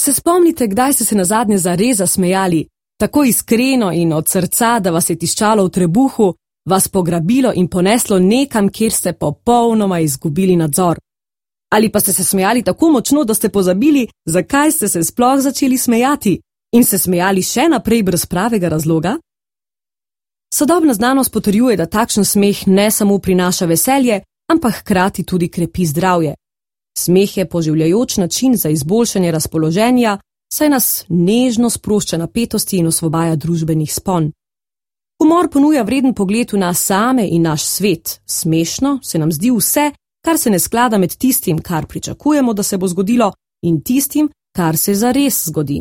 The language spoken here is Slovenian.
Se spomnite, kdaj ste se nazadnje zares zasmejali, tako iskreno in od srca, da vas je tiščalo v trebuhu, vas pograbilo in poneslo nekam, kjer ste popolnoma izgubili nadzor? Ali pa ste se smejali tako močno, da ste pozabili, zakaj ste se sploh začeli smejati in se smejali še naprej brez pravega razloga? Sodobna znanost potrjuje, da takšen smeh ne samo prinaša veselje, ampak hkrati tudi krepi zdravje. Smeh je poživljajoč način za izboljšanje razpoloženja, saj nas nežno sprošča napetosti in osvobaja družbenih spon. Humor ponuja vreden pogled v nas same in naš svet. Smešno se nam zdi vse, kar se ne sklada med tistim, kar pričakujemo, da se bo zgodilo, in tistim, kar se zares zgodi.